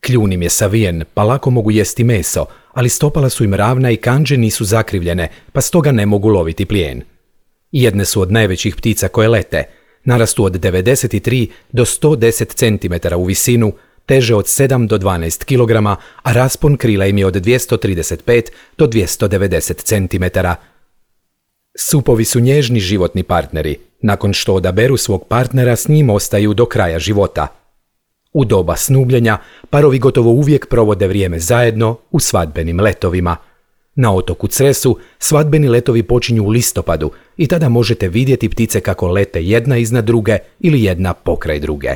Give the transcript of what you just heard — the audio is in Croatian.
Kljun im je savijen, pa lako mogu jesti meso, ali stopala su im ravna i kandže nisu zakrivljene, pa stoga ne mogu loviti plijen. Jedne su od najvećih ptica koje lete, narastu od 93 do 110 cm u visinu, teže od 7 do 12 kg, a raspon krila im je od 235 do 290 cm. Supovi su nježni životni partneri. Nakon što odaberu svog partnera, s njim ostaju do kraja života. U doba snubljenja parovi gotovo uvijek provode vrijeme zajedno u svadbenim letovima. Na otoku Cresu svadbeni letovi počinju u listopadu i tada možete vidjeti ptice kako lete jedna iznad druge ili jedna pokraj druge.